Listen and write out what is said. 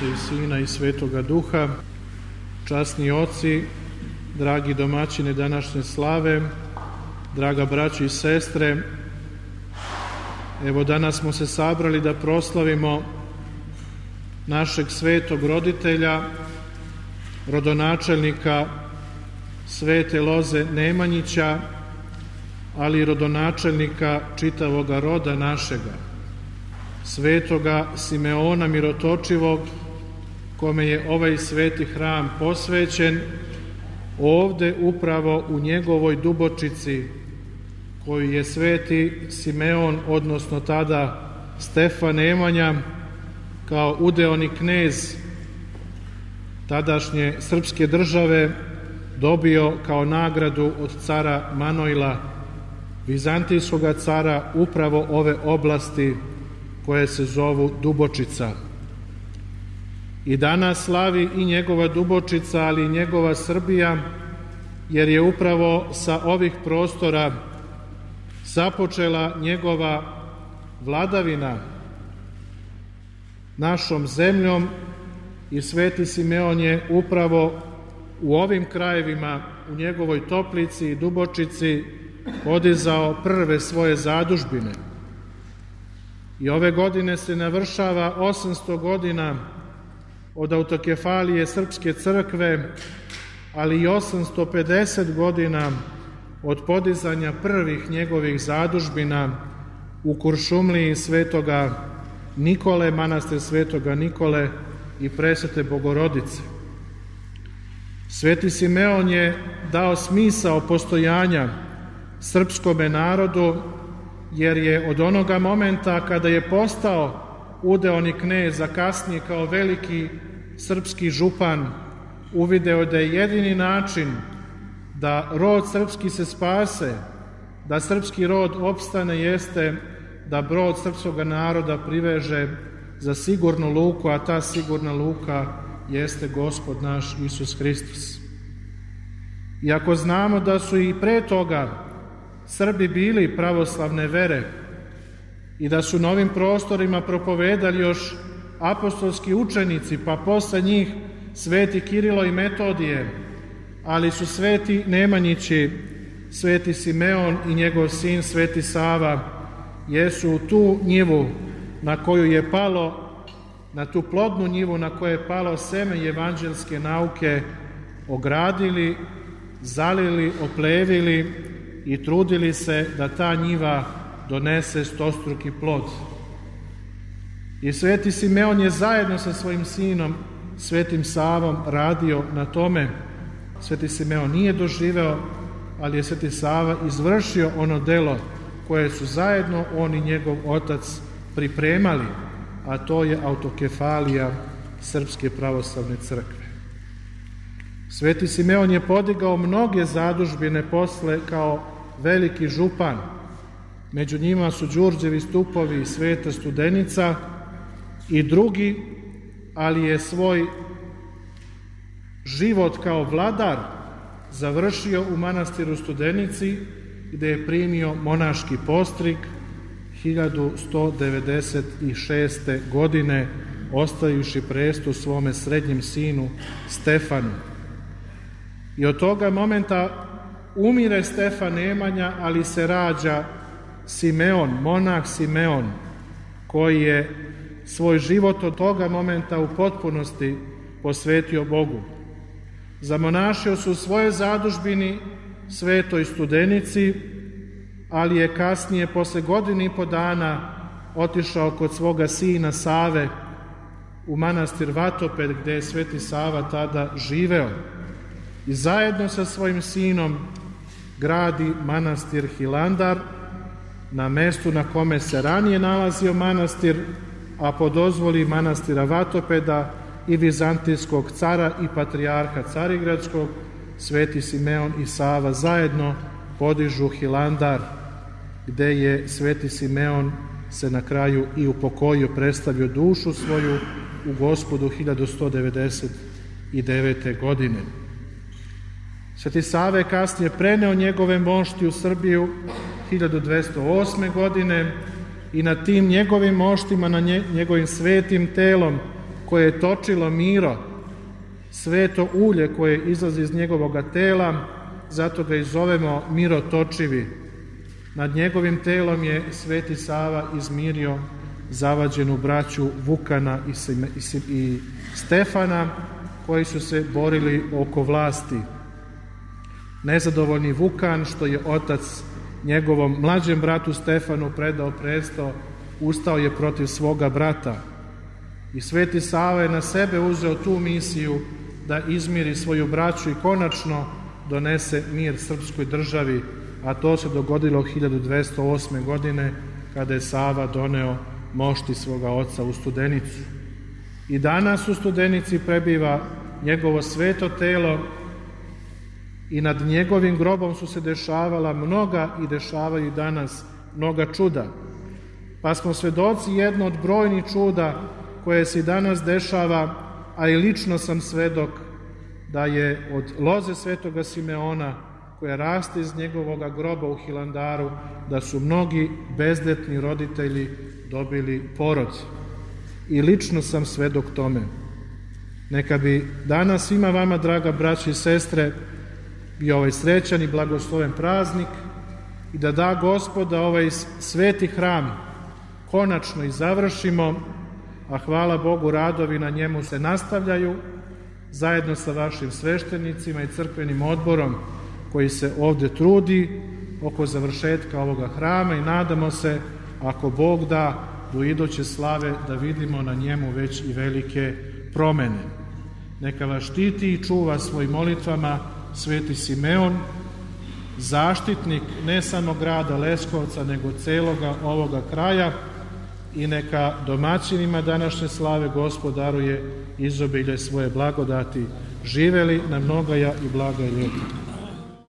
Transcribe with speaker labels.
Speaker 1: i Sina i Svetoga Duha, časni oci, dragi domaćini današnje slave, draga braćo i sestre, evo danas smo se sabrali da proslavimo našeg svetog roditelja, rodonačelnika Svete Loze Nemanjića, ali i rodonačelnika čitavoga roda našega, svetoga Simeona Mirotočivog, kome je ovaj sveti hram posvećen, ovde upravo u njegovoj Dubočici, koju je sveti Simeon, odnosno tada Stefan Nemanja, kao udeoni knez tadašnje srpske države, dobio kao nagradu od cara Manojla, vizantijskog cara, upravo ove oblasti koje se zovu Dubočica. I danas slavi i njegova Dubočica, ali i njegova Srbija, jer je upravo sa ovih prostora započela njegova vladavina našom zemljom i sveti Simeon je upravo u ovim krajevima, u njegovoj Toplici i Dubočici, podizao prve svoje zadužbine. I ove godine se navršava 800 godina od autokefalije Srpske crkve, ali i 850 godina od podizanja prvih njegovih zadužbina u Kuršumliji Svetoga Nikole, manastir Svetoga Nikole i Presvete Bogorodice. Sveti Simeon je dao smisao postojanja srpskome narodu, jer je od onoga momenta kada je postao udeoni knez, a kasnije kao veliki srpski župan, uvideo da je jedini način da rod srpski se spase, da srpski rod opstane, jeste da brod srpskog naroda priveže za sigurnu luku, a ta sigurna luka jeste Gospod naš Isus Hristos. Iako znamo da su i pre toga Srbi bili pravoslavne vere i da su na ovim prostorima propovedali još apostolski učenici, pa posle njih sveti Kirilo i Metodije, ali su sveti Nemanjići, sveti Simeon i njegov sin sveti Sava, jesu u tu njivu na koju je palo, na tu plodnu njivu na koju je palo seme evanđelske nauke, ogradili, zalili, oplevili i trudili se da ta njiva donese stostruki plod. I sveti Simeon je zajedno sa svojim sinom, svetim Savom, radio na tome. Sveti Simeon nije doživeo, ali je sveti Sava izvršio ono delo koje su zajedno on i njegov otac pripremali, a to je autokefalija Srpske pravoslavne crkve. Sveti Simeon je podigao mnoge zadužbine posle kao veliki župan. Među njima su Đurđevi stupovi i Sveta Studenica i drugi, ali je svoj život kao vladar završio u manastiru Studenici, gde je primio monaški postrig 1196. godine, ostavivši presto svome srednjem sinu Stefanu. I od toga momenta umire Stefan Nemanja, ali se rađa Simeon, monah Simeon, koji je svoj život od toga momenta u potpunosti posvetio Bogu. Zamonašio se u svojoj zadužbini Svetoj Studenici, ali je kasnije, posle godine i po dana, otišao kod svoga sina Save u manastir Vatoped, gde je sveti Sava tada živeo. I zajedno sa svojim sinom gradi manastir Hilandar na mestu na kome se ranije nalazio manastir, a po dozvoli manastira Vatopeda i vizantijskog cara i patrijarha Carigradskog, sveti Simeon i Sava zajedno podižu Hilandar, gde je sveti Simeon se na kraju i upokojio, predstavio dušu svoju u Gospodu 1199. godine. Sveti Sava je kasnije preneo njegove mošti u Srbiju 1208. godine i na tim njegovim moštima, na njegovim svetim telom koje je točilo Miro, sveto ulje koje izlazi iz njegovoga tela, zato ga i zovemo Mirotočivi. Nad njegovim telom je sveti Sava izmirio zavađenu braću Vukana i Stefana, koji su se borili oko vlasti. Nezadovoljni Vukan, što je otac njegovom mlađem bratu Stefanu predao presto, ustao je protiv svoga brata. I sveti Sava je na sebe uzeo tu misiju da izmiri svoju braću i konačno donese mir srpskoj državi, a to se dogodilo 1208. godine kada je Sava doneo mošti svoga oca u Studenicu. I danas u Studenici prebiva njegovo sveto telo i nad njegovim grobom su se dešavala mnoga i dešavaju danas mnoga čuda. Pa smo svedoci jedno od brojnih čuda koje se i danas dešava, a i lično sam svedok da je od loze svetoga Simeona koja raste iz njegovoga groba u Hilandaru, da su mnogi bezdetni roditelji dobili porod. I lično sam svedok tome. Neka bi danas svima vama, draga braći i sestre, bio ovaj srećan i blagosloven praznik i da Gospod da ovaj sveti hram konačno i završimo, a hvala Bogu, radovi na njemu se nastavljaju zajedno sa vašim sveštenicima i crkvenim odborom koji se ovde trudi oko završetka ovoga hrama i nadamo se, ako Bog da, do iduće slave da vidimo na njemu već i velike promene. Neka vas štiti i čuva svojim molitvama sveti Simeon, zaštitnik ne samo grada Leskovca, nego celoga ovoga kraja, i neka domaćinima današnje slave Gospod daruje izobilje svoje blagodati. Živeli na mnogaja i blaga ljeta.